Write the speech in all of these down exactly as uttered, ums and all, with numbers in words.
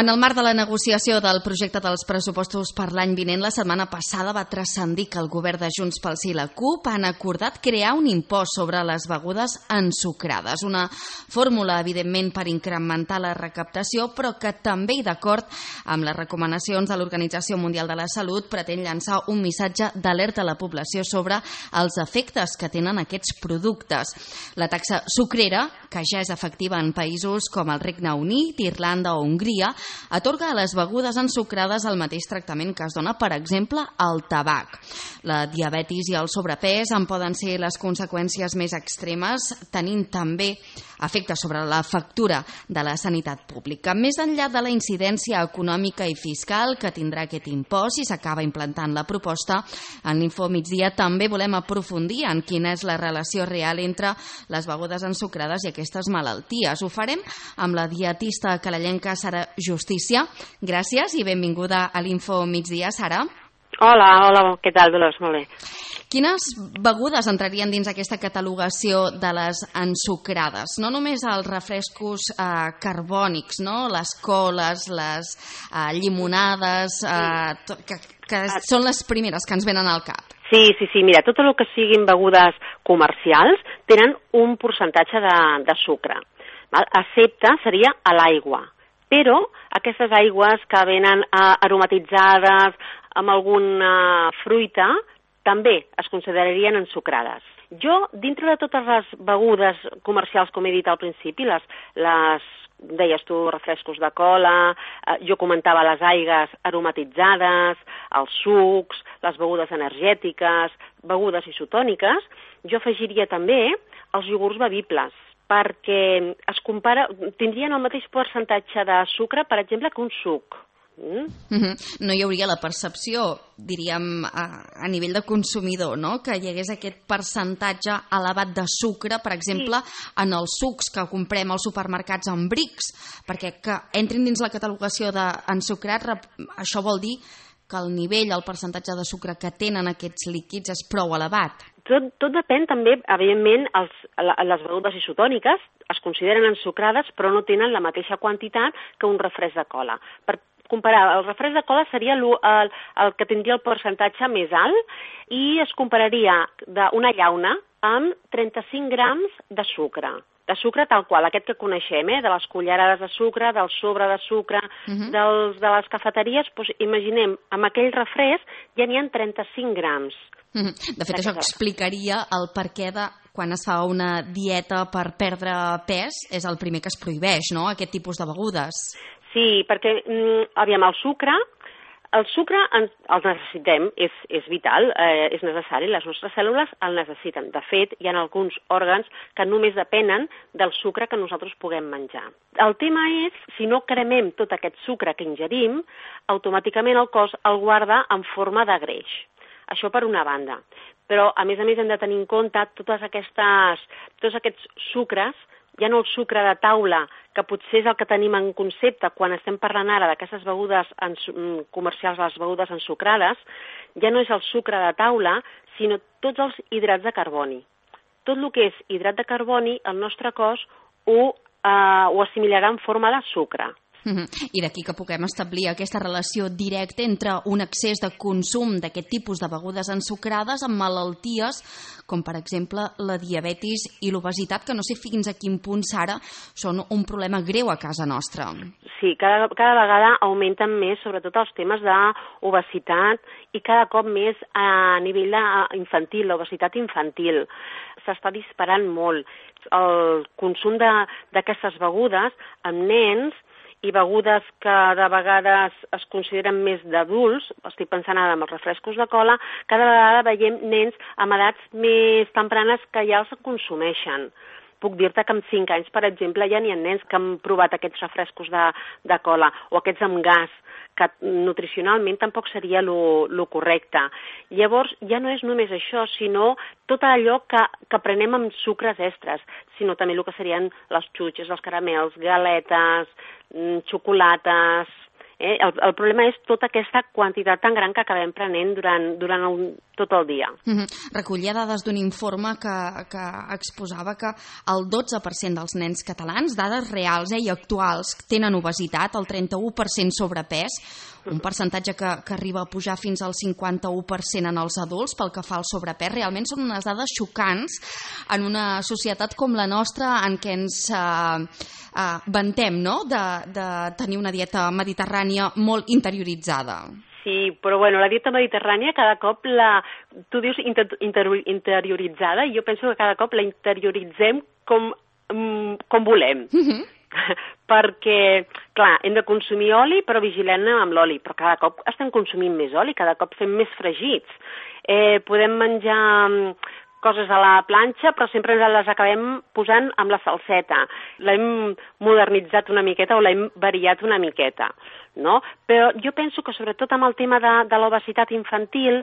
En el marc de la negociació del projecte dels pressupostos per l'any vinent, la setmana passada va transcendir que el govern de Junts pel Sí i la CUP han acordat crear un impost sobre les begudes ensucrades. Una fórmula, evidentment, per incrementar la recaptació, però que també, i d'acord amb les recomanacions de l'Organització Mundial de la Salut, pretén llançar un missatge d'alerta a la població sobre els efectes que tenen aquests productes. La taxa sucrera, que ja és efectiva en països com el Regne Unit, Irlanda o Hongria, atorga a les begudes ensucrades el mateix tractament que es dona, per exemple, al tabac. La diabetis i el sobrepès en poden ser les conseqüències més extremes, tenint també efectes sobre la factura de la sanitat pública. Més enllà de la incidència econòmica i fiscal que tindrà aquest impost si s'acaba implantant la proposta, en l'Info Migdia també volem aprofundir en quina és la relació real entre les begudes ensucrades i aquestes malalties. Ho farem amb la dietista calellenca Sara Justícia. Gràcies i benvinguda a l'Info Migdia, Sara. Hola, hola, què tal, Dolors? Molt bé. Quines begudes entrarien dins aquesta catalogació de les ensucrades? No només els refrescos eh, carbònics, no? Les coles, les eh, llimonades, eh, que, que són les primeres que ens venen al cap. Sí, sí, sí, mira, tot el que siguin begudes comercials tenen un percentatge de, de sucre. Val? Excepte seria a l'aigua. Però aquestes aigües que venen eh, aromatitzades amb alguna fruita també es considerarien ensucrades. Jo, dintre de totes les begudes comercials, com he dit al principi, les, les deies tu, refrescos de cola, eh, jo comentava les aigues aromatitzades, els sucs, les begudes energètiques, begudes isotòniques, jo afegiria també els iogurts bevibles, perquè es compara, tindrien el mateix percentatge de sucre, per exemple, que un suc. Mm? Mm-hmm. No hi hauria la percepció, diríem, a, a nivell de consumidor, no? Que hi hagués aquest percentatge elevat de sucre, per exemple, sí, en els sucs que comprem als supermercats en brics, perquè que entrin dins la catalogació d'ensucrat, això vol dir que el nivell, el percentatge de sucre que tenen aquests líquids és prou elevat. Tot, tot depèn també, evidentment, els, les begudes isotòniques es consideren ensucrades però no tenen la mateixa quantitat que un refresc de cola. Per comparar, el refresc de cola seria el, el, el que tindria el percentatge més alt i es compararia d'una llauna amb trenta-cinc grams de sucre. De sucre tal qual, aquest que coneixem, eh? De les cullerades de sucre, del sobre de sucre, uh-huh, dels, de les cafeteries, doncs imaginem, amb aquell refresc ja n'hi ha trenta-cinc grams. Uh-huh. De fet, això explicaria el perquè de quan es fa una dieta per perdre pes, és el primer que es prohibeix, no?, aquest tipus de begudes. Sí, perquè, aviam, el sucre, el sucre el necessitem, és, és vital, eh, és necessari, les nostres cèl·lules el necessiten. De fet, hi ha alguns òrgans que només depenen del sucre que nosaltres puguem menjar. El tema és, si no cremem tot aquest sucre que ingerim, automàticament el cos el guarda en forma de greix. Això per una banda. Però, a més a més, hem de tenir en compte totes aquestes, tots aquests sucres, ja no el sucre de taula, que potser és el que tenim en concepte quan estem parlant ara d'aquestes begudes comercials, les begudes ensucrades, ja no és el sucre de taula, sinó tots els hidrats de carboni. Tot el que és hidrat de carboni, el nostre cos ho, eh, ho assimilarà en forma de sucre. I d'aquí que puguem establir aquesta relació directa entre un excés de consum d'aquest tipus de begudes ensucrades amb malalties com, per exemple, la diabetis i l'obesitat, que no sé fins a quin punt, Sara, són un problema greu a casa nostra. Sí, cada, cada vegada augmenten més, sobretot els temes d'obesitat i cada cop més a nivell infantil, l'obesitat infantil. S'està disparant molt. El consum d'aquestes begudes amb nens i begudes que de vegades es consideren més d'adults, estic pensant ara en els refrescos de cola, cada vegada veiem nens amb edats més tempranes que ja els consumeixen. Puc dir-te que amb cinc anys, per exemple, ja n'hi ha nens que han provat aquests refrescos de, de cola o aquests amb gas, que nutricionalment tampoc seria el correcte. Llavors, ja no és només això, sinó tot allò que, que prenem amb sucres extres, sinó també el que serien les xutxes, els caramels, galetes, xocolates, Eh? El, el problema és tota aquesta quantitat tan gran que acabem prenent durant, durant un, tot el dia. Mm-hmm. Recollia dades d'un informe que, que exposava que el dotze per cent dels nens catalans, dades reals eh, i actuals, tenen obesitat, el trenta-u per cent sobrepès, un percentatge que, que arriba a pujar fins al cinquanta-u per cent en els adults pel que fa al sobrepès. Realment són unes dades xocants en una societat com la nostra en què ens eh, eh, vantem, no?, de, de tenir una dieta mediterrània molt interioritzada. Sí, però bueno, la dieta mediterrània cada cop la... Tu dius inter, inter, interioritzada i jo penso que cada cop la interioritzem com, com volem. Mm-hmm. Perquè, clar, hem de consumir oli, però vigilem amb l'oli, però cada cop estem consumint més oli, cada cop fem més fregits. Eh, podem menjar coses a la planxa, però sempre les acabem posant amb la salseta. L'hem modernitzat una miqueta o l'hem variat una miqueta, no? Però jo penso que sobretot amb el tema de, de l'obesitat infantil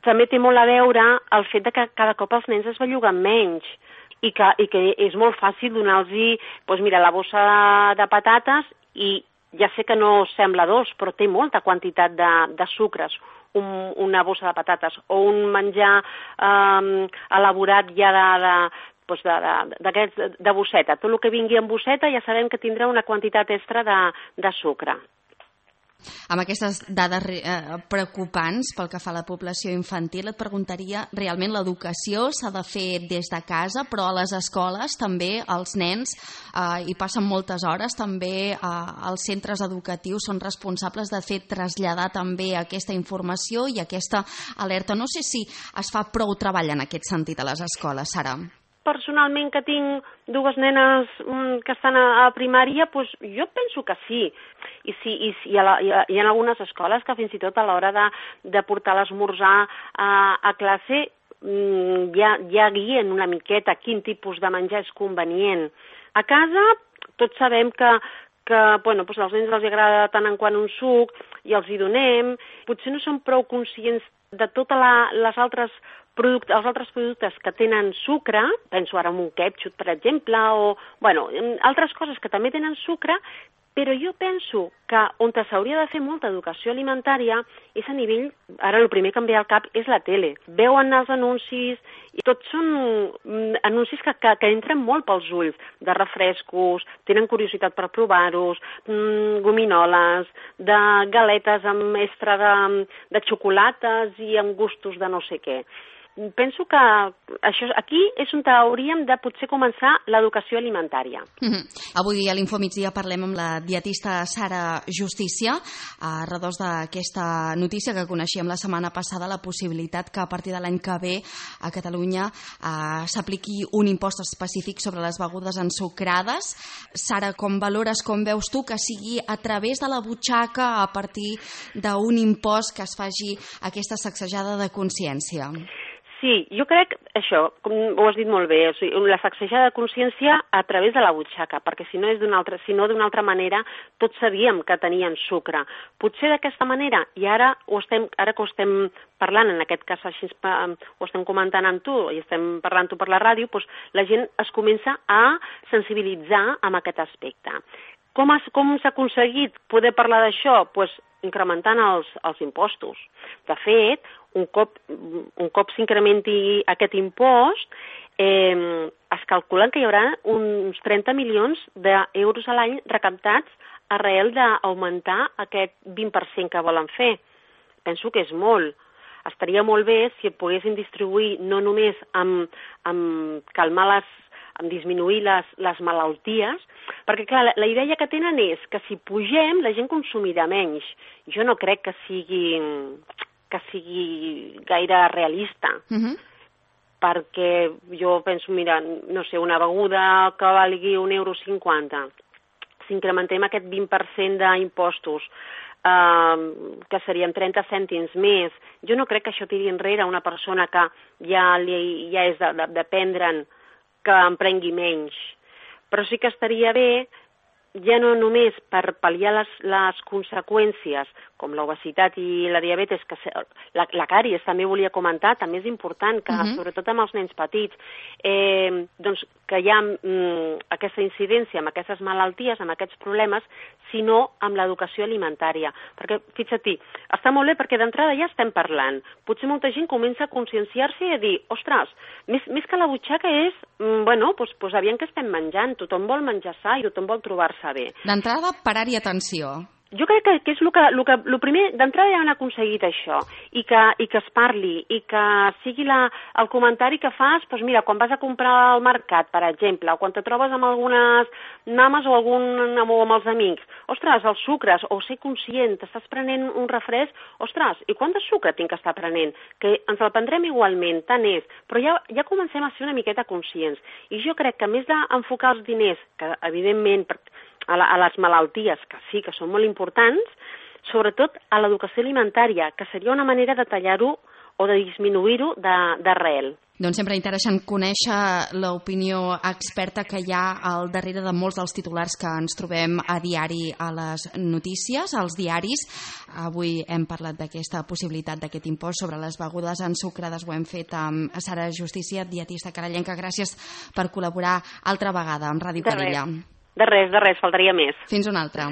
també té molt a veure el fet de que cada cop els nens es belluguen menys. I que, i que és molt fàcil donar-los, doncs mira, la bossa de, de patates i ja sé que no sembla dolç, però té molta quantitat de, de sucres, un, una bossa de patates o un menjar eh, elaborat ja de, de, doncs de, de, de, de bosseta. Tot el que vingui en bosseta ja sabem que tindrà una quantitat extra de, de sucre. Amb aquestes dades eh, preocupants pel que fa a la població infantil, et preguntaria, realment l'educació s'ha de fer des de casa, però a les escoles també els nens eh, hi passen moltes hores, també eh, els centres educatius són responsables de fer traslladar també aquesta informació i aquesta alerta. No sé si es fa prou treball en aquest sentit a les escoles, Sara. Personalment, que tinc dues nenes que estan a, a primària, doncs jo penso que sí. I, sí, i, i, a la, i, a, i en algunes escoles que fins i tot a l'hora de, de portar l'esmorzar a, a classe ja, ja guien una miqueta quin tipus de menjar és convenient. A casa tots sabem que, que bueno, doncs als nens els agrada tant en quant un suc i els hi donem. Potser no són prou conscients de totes les altres productes, els altres productes que tenen sucre, penso ara en un ketchup, per exemple, o bueno, altres coses que també tenen sucre, però jo penso que on s'hauria de fer molta educació alimentària és a nivell, ara el primer que em ve al cap és la tele. Veuen els anuncis i tots són anuncis que, que, que entren molt pels ulls, de refrescos, tenen curiositat per provar-los, mmm, gominoles, de galetes amb extra de, de xocolates i amb gustos de no sé què. Penso que això, aquí és on hauríem de potser començar l'educació alimentària. Mm-hmm. Avui a l'Infomigdia parlem amb la dietista Sara Justícia a redós d'aquesta notícia que coneixíem la setmana passada, la possibilitat que a partir de l'any que ve a Catalunya eh, s'apliqui un impost específic sobre les begudes ensucrades. Sara, com valores, com veus tu que sigui a través de la butxaca, a partir d'un impost que es faci aquesta sacsejada de consciència? Sí, jo crec això, com ho has dit molt bé, o sigui, la sacsejada de consciència a través de la butxaca, perquè si no és d'una altra, si no d'una altra manera, tots sabíem que tenien sucre. Potser d'aquesta manera, i ara, ho estem, ara que ho estem parlant, en aquest cas així ho estem comentant amb tu i estem parlant tu per la ràdio, doncs la gent es comença a sensibilitzar amb aquest aspecte. Com, has, com s'ha aconseguit poder parlar d'això? Pues incrementant els, els impostos. De fet, un cop, un cop s'incrementi aquest impost, eh, es calculen que hi haurà uns trenta milions d'euros a l'any recaptats arrel d'augmentar aquest vint per cent que volen fer. Penso que és molt. Estaria molt bé si poguessin distribuir no només amb, amb calmar les en disminuir les, les malalties, perquè clar, la, la idea que tenen és que si pugem la gent consumirà menys. Jo no crec que sigui, que sigui gaire realista, uh-huh. perquè jo penso, mira, no sé, una beguda que valgui un euro cinquanta, si incrementem aquest vint per cent d'impostos, Uh, que serien trenta cèntims més, jo no crec que això tiri enrere una persona que ja, li, ja és de, de, de prendre'n que en prengui menys. Però sí que estaria bé ja no només per pal·liar les, les conseqüències, com l'obesitat i la diabetes, que la, la càries també volia comentar, també és important que, uh-huh. sobretot amb els nens petits, eh, doncs que hi ha mm, aquesta incidència amb aquestes malalties, amb aquests problemes, sinó amb l'educació alimentària. Perquè, fixa't-hi, està molt bé perquè d'entrada ja estem parlant. Potser molta gent comença a conscienciar-se i a dir, ostres, més, més que la butxaca és, mm, bueno, doncs, doncs aviam què estem menjant, tothom vol menjar sa i tothom vol trobar-se bé. D'entrada, parar-hi atenció. Jo crec que, que és el que, el que el primer, d'entrada ja han aconseguit això, i que, i que es parli, i que sigui la, el comentari que fas, doncs mira, quan vas a comprar al mercat, per exemple, o quan te trobes amb algunes mames o, algun, o amb els amics, ostres, els sucres, o ser conscient, t'estàs prenent un refresc, ostres, i quant de sucre tinc que estar prenent? Que ens el prendrem igualment, tant és, però ja, ja comencem a ser una miqueta conscients. I jo crec que a més d'enfocar els diners, que evidentment a, la, a les malalties, que sí, que són molt importants, sobretot a l'educació alimentària, que seria una manera de tallar-ho o de disminuir-ho d'arrel. Doncs sempre interessant conèixer l'opinió experta que hi ha al darrere de molts dels titulars que ens trobem a diari a les notícies, als diaris. Avui hem parlat d'aquesta possibilitat d'aquest impost sobre les begudes ensucrades. Ho hem fet amb Sara Justícia, dietista carallenca. Gràcies per col·laborar altra vegada amb Ràdio Calella. De res, de res, faltaria més. Fins una altra.